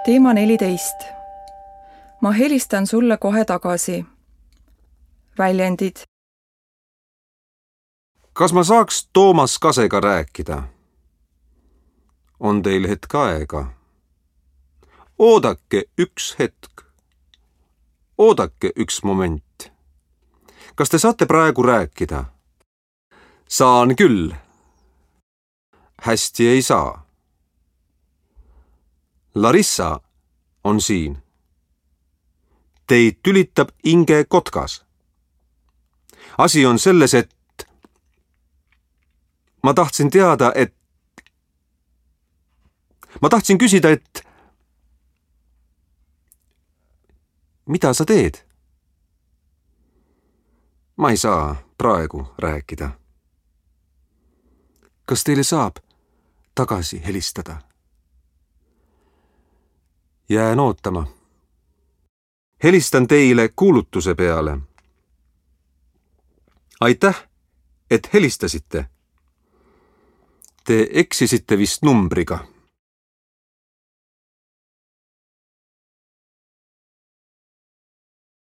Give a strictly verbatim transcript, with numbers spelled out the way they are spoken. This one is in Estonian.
teema neliteist. Ma helistan sulle kohe tagasi. Väljendid. Kas ma saaks Toomas Kasega rääkida? On teil hetk aega? Oodake üks hetk. Oodake üks moment. Kas te saate praegu rääkida? Saan küll. Hästi ei saa. Larissa on siin. Teid tülitab Inge Kotkas. Asi on selles, et ma tahtsin teada, et ma tahtsin küsida, et mida sa teed? Ma ei saa praegu rääkida. Kas teile saab tagasi helistada? Jään ootama. Helistan teile kuulutuse peale. Aitäh, et helistasite. Te eksisite vist numbriga.